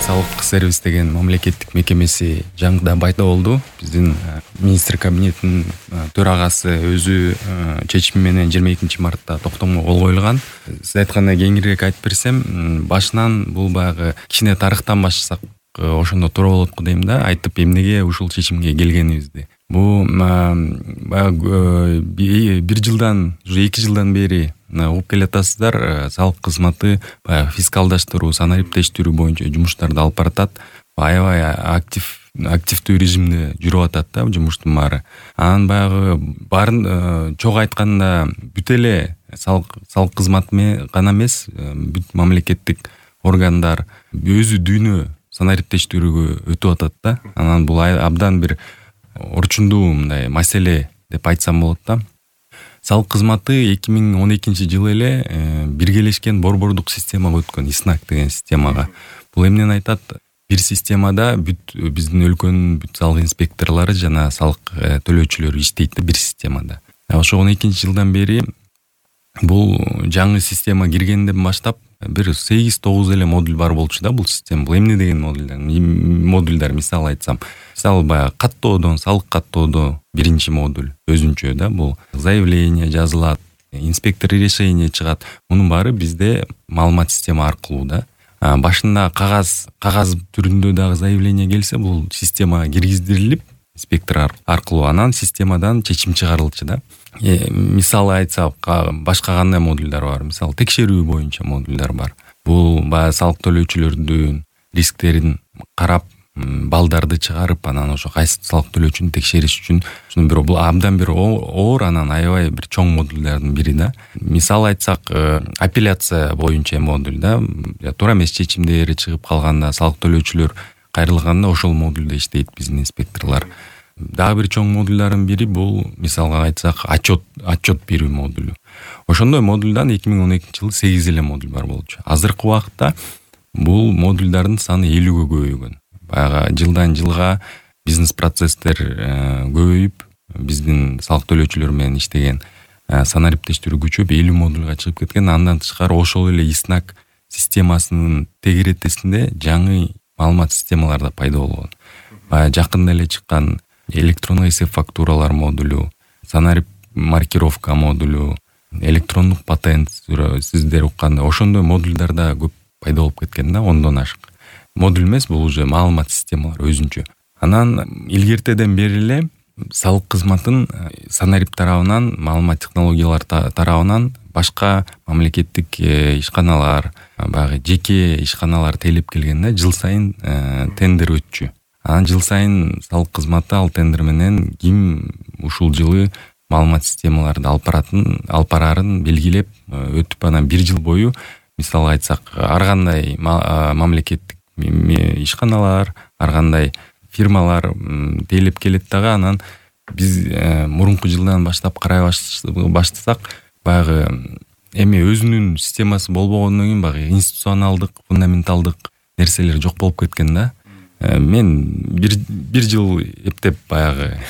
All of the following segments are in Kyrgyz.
салык сервис деген мамлекеттик мекемеси жаңыдан пайда болду. Биздин министр кабинетинин төрагасы өзү чечими менен 22 мартта токтомго кол коюлган. Сиз айткандай кеңирээк айтып берсем, башынан бул баягы кичине тарыхтан баштасак ошондо туура болот го дейм да, айтып эмнеге ушул чечимге келгенибизди. Бул баягы 1 жылдан, уже 2 жылдан бери угуп келатасыздар. Салык кызматы баягы фискалдаштыруу, санариптештирүү боюнча жумуштарды алып баратат. Аябай активдүү режимде жүрүп атат да жумуштун баары. Анан баягы баарын чогуу айтканда бүт эле салык кызматы гана эмес, бүт мамлекеттик органдар өзү дүйнө санариптештирүүгө өтүп атат да. Анан бул абдан бир орчундуу мындай маселе деп айтсам болот да. Салык кызматы 2012 жылы эле биргелешкен борбордук системага өткөн, ИСНАК деген системага. Бул эмнени айтат? Бир системада бүт биздин өлкөнүн бүт салык инспекторлору жана салык төлөөчүлөр иштейт бир системада. Ошо 12 жылдан бери бул жаңы система киргенден баштап бир 8-9 эле модуль бар болчу да бул система. Бул эмне деген модульдар мисал айтсам. Мисалы баягы каттоодон, салык каттоодо биринчи модуль өзүнчө да, бул заявление жазылат, инспектор решение чыгат. Мунун баары бизде маалымат система аркылуу да. Башында кагаз түрүндө дагы заявление келсе, бул системага киргиздирилип, инспектор аркылуу анан системадан чечим чыгарылчу да. Мисалы айтсак, башка кандай модульдар бар? Мисалы текшерүү боюнча модульдар бар. Бул баягы салык төлөөчүлөрдүн рисктерин карап, балдарды чыгарып, анан ошо кайсы салык төлөөчүнү текшериш үчүн бул абдан бир оор, анан аябай бир чоң модулдардын бири да. Мисал айтсак, апелляция боюнча модуль да. Туура эмес чечимдери чыгып калганда, салык төлөөчүлөр кайрылганда ошол модулда иштейт биздин инспекторлор. Дагы бир чоң модулдардын бири бул, мисалга айтсак, отчет берүү модулу. Ошондой модулдан 2012 жылы 8 эле модуль бар болчу. Азыркы убакытта бул модулдардын саны 50-гө көбөйгөн. Баягы жылдан жылга бизнес процесстер көбөйүп, биздин салык төлөөчүлөр менен иштеген санариптештирүү күчөп 50 модульга чыгып кеткен. Андан тышкары ошол эле ИСНАК системасынын тегеретесинде жаңы маалымат системалар да пайда болгон. Баягы жакында эле чыккан электрондук эсеп фактуралар модулу, санарип маркировка модулу, электрондук патент, сиздер укканда ошондой модулдар да көп пайда болуп кеткен да, 10дон ашык. Модуль эмес, бул уже маалымат системалар өзүнчө. Анан илгертеден бери эле салык кызматын санарип тарабынан, маалымат технологиялар тарабынан башка мамлекеттик ишканалар, баягы жеке ишканалар тейлеп келгенде жыл сайын тендер өтчү. Анан жыл сайын салык кызматы ал тендер менен ким ушул жылы маалымат системаларды алып барарын белгилеп өтүп, анан 1 жыл бою, мисалы айтсак, ар кандай мамлекеттик ишканалар, ар кандай фирмалар тейлеп келет дагы. Анан биз мурунку жылдан баштап карай баштасак, баягы эми өзүнүн системасы болбогондон кийин баягы институционалдык, фундаменталдык нерселер жок болуп кеткен да. Мен бир жыл эптеп баягы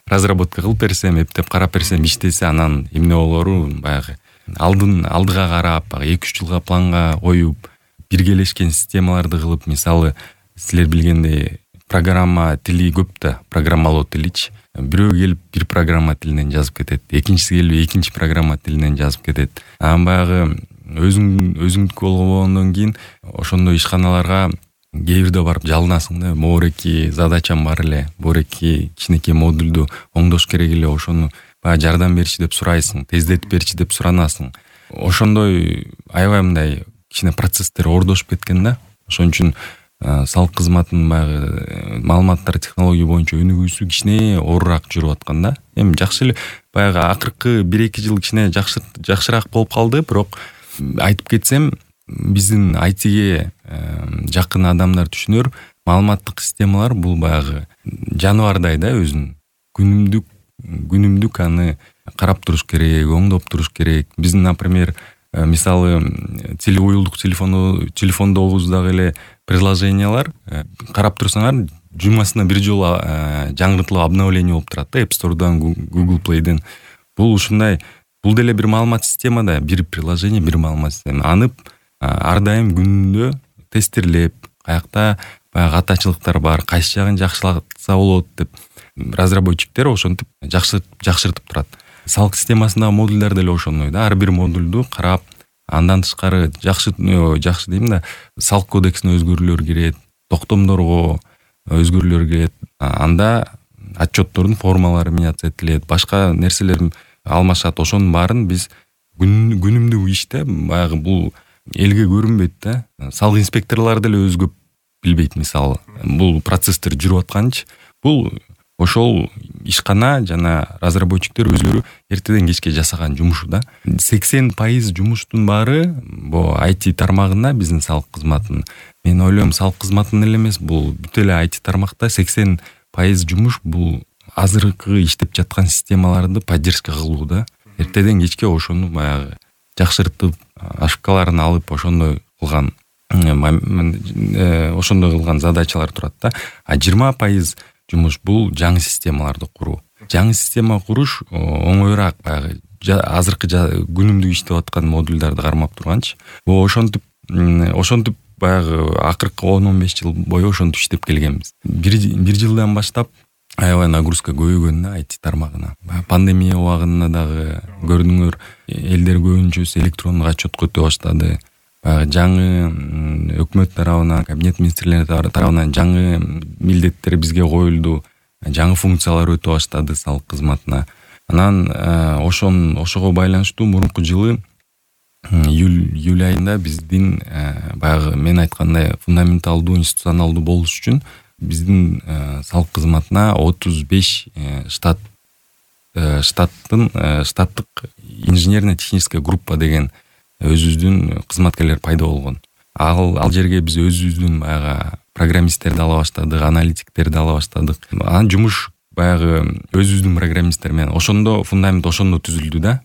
разработка кылып берсем, эптеп карап берсем, иштесе, анан эмне болору баягы алдыга карап, 2-3 жылга планга коюп, биргелешкен системаларды кылып, мисалы, силер билгендей программа тили көп да, программалоо тиличи. Бирөө келип бир программа тилинен жазып кетет, экинчиси келип экинчи программа тилинен жазып кетет. Анан баягы өзүңдүкү болгондон кийин ошондой ишканаларга кээ бирде барып жалынасың да, моореки задачам бар эле, моореки кичинекей модулду оңдош керек эле, ошону баягы жардам берчи деп сурайсың, тездетип берчи деп суранасың. Ошондой аябай мындай кичине процесстер оордошуп кеткен да. Ошон үчүн салык кызматынын баягы маалыматтар технология боюнча өнүгүүсү кичине оорураак жүрүп аткан да. Эми жакшы эле баягы акыркы 1-2 жыл кичине жакшыраак болуп калды, бирок айтып кетсем, биздин айтиге жакын адамдар түшүнөр, маалыматтык системалар бул баягы жаныбардай да, өзүн күнүмдүк аны карап туруш керек, оңдоп туруш керек. Биздин, например, мисалы уюлдук телефондогубуздагы эле приложениялар карап турсаңар, жумасына бир жолу жаңыртылып обновление болуп турат да, App Store'дан, Google Play'ден. Бул ушундай, бул деле бир маалымат система да, бир приложение, бир маалымат система. Аны ар дайым күнүндө тестирлеп, каякта баягы катачылыктар бар, кайсы жагын жакшылатса болот деп разработчиктер ошентип жакшыртып турат. Салык системасындагы модулдар деле ошондой да, ар бир модулду карап, андан тышкары жакшы дейм да, салык кодексине өзгөрүүлөр кирет, токтомдорго өзгөрүүлөр кирет, анда отчеттордун формалары меняться этилет, башка нерселер алмашат. Ошонун баарын биз күнүмдүк иште баягы бул элге көрүнбөйт да. Салык инспекторлор деле өзү көп билбейт. Мисалы, бул процесстер жүрүп атканчы, бул ошол ишкана жана разработчиктер өзлөрү эртеден кечке жасаган жумушу да. 80% жумуштун баары бу IT тармагында, биздин салык кызматынын. Мен ойлойм, салык кызматынын эле эмес, бул бүт эле IT тармакта 80% жумуш бул азыркы иштеп жаткан системаларды поддержка кылуу да. Эртеден кечке ошону баягы жакшыртып, ошибкаларын алып, ошондой кылган задачалар турат да. А 20% жумуш бул жаңы системаларды куруу. Жаңы система куруш оңоюраак, баягы азыркы күнүмдүк иштеп аткан модулдарды кармап турганчы. Ошентип баягы акыркы 10-15 жыл бою ошентип иштеп келгенбиз. Бир жылдан баштап аябай нагрузка көбөйгөн да IT тармагына. Пандемия убагында дагы көрдүңөр, элдер көбүнчөсү электрондук отчетко өтө баштады. Жаңы өкмөт тарабынан, кабинет министрлери тарабынан жаңы милдеттер бизге коюлду, жаңы функциялар өтө баштады салык кызматына. Анан ошого байланыштуу мурунку жылы июль айында биздин баягы мен айткандай фундаменталдуу, институционалдуу болуш үчүн биздин салык кызматына 35 штаттык инженерно-техническая группа деген өзүбүздүн кызматкерлер пайда болгон. Ал жерге биз өзүбүздүн баягы программисттерди ала баштадык, аналитиктерди ала баштадык. Анан жумуш баягы өзүбүздүн программисттер менен ошондо фундамент түзүлдү да,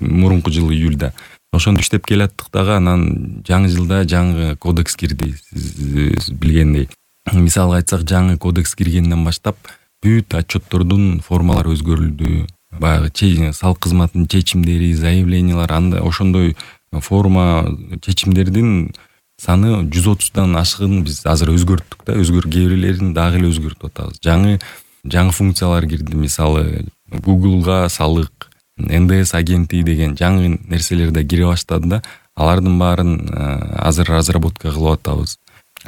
мурунку жылы июльда. Ошондо иштеп келаттык дагы, анан жаңы жылда жаңы кодекс кирди, сиз билгендей. Мисалга айтсак, жаңы кодекс киргенден баштап бүт отчеттордун формалары өзгөрүлдү. Баягы салык кызматынын чечимдери, заявлениялар, анда ошондой форма чечимдердин саны 130дан ашыгын биз азыр өзгөрттүк да, кээ бирлерин дагы эле өзгөртүп атабыз. Жаңы функциялар кирди, мисалы Google'га салык, НДС агенти деген жаңы нерселер да кире баштады да. Алардын баарын азыр разработка кылып атабыз.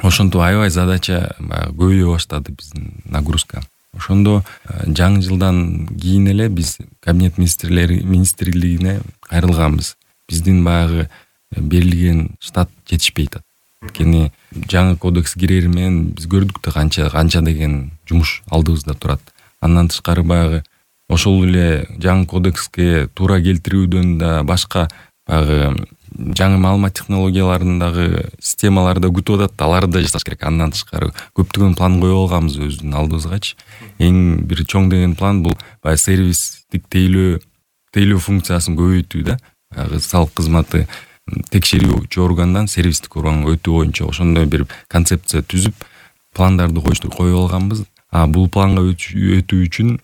Ошентип аябай задача көбөйө баштады биздин нагрузка. Ошондо жаңы жылдан кийин эле биз кабинет министрлигине кайрылганбыз. Биздин баягы берилген штат жетишпейт. Анткени жаңы кодекс кирери менен биз көрдүк да канча деген жумуш алдыбызда турат. Андан тышкары баягы ошол эле жаңы кодекске туура келтирүүдөн да башка баягы жаңы маалымат технологияларындагы системаларды күтүп атат, аларды да жасаш керек. Андан тышкары көптөгөн план коюп алганбыз өзүбүздүн алдыбызгачы. Эң бир чоң деген план бул баягы сервистик тейлөө функциясын көбөйтүү да. Баягы салык кызматы текшерүүчү органдан сервистик органга өтүү боюнча ошондой бир концепция түзүп, пландарды коюп алганбыз. Бул планга өтүү үчүн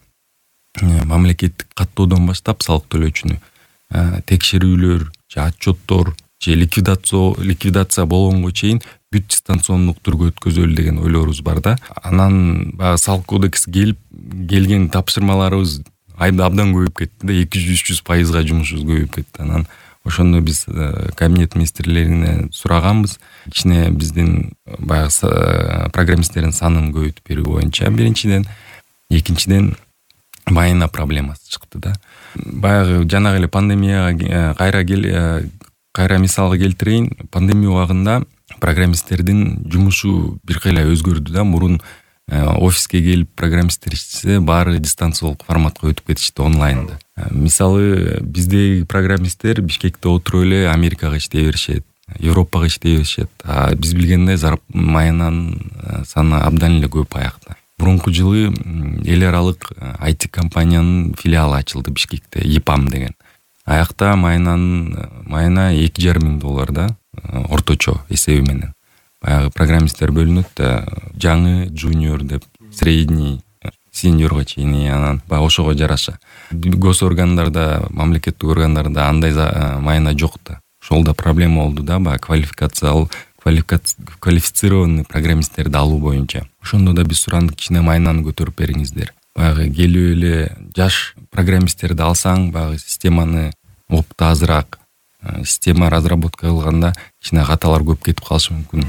мамлекеттик каттоодон баштап салык төлөөчүнү текшерүүлөр, отчеттор, ликвидация болгонго чейин бүт дистанциондук түргө өткөзөлү деген ойлорубуз бар да. Анан баягы салык кодекс келген тапшырмаларыбыз абдан көбөйүп кетти да, 200-300% жумушубуз көбөйүп кетти. Анан ошондо биз кабинет министрлерине сураганбыз, кичине биздин баягы программисттердин санын көбөйтүп берүү боюнча биринчиден, экинчиден майына проблемасы чыкты да. Баягы жанагы эле пандемияга кайра мисалга келтирейин. Пандемия убагында программисттердин жумушу бир кыйла өзгөрдү да. Мурун офиске келип программисттер иштесе, баары дистанциялык форматка өтүп кетишти, онлайнда. Мисалы биздеги программисттер Бишкекте отуруп эле Америкага иштей беришет, Европага иштей беришет. Биз билгендей майынанын саны абдан эле көп аякта. Мурунку жылы эл аралык IT компаниянын филиалы ачылды Бишкекте, EPAM деген. Аякта майына $2,500 да, орточо эсеби менен. Баягы программисттер бөлүнөт да, жаңы, жуниор деп, средний, сеньорго чейин, анан баягы ошого жараша. Гос органдарда, мамлекеттик органдарда андай майына жок да. Ошол да проблема болду да, баягы квалифицированный программисттерди алуу боюнча. Ошондо да биз сурандык, кичине майнаны көтөрүп бериңиздер. Баягы келип эле жаш программисттерди алсаң, баягы системаны опыты азыраак, система разработка кылганда кичине каталар көп кетип калышы мүмкүн.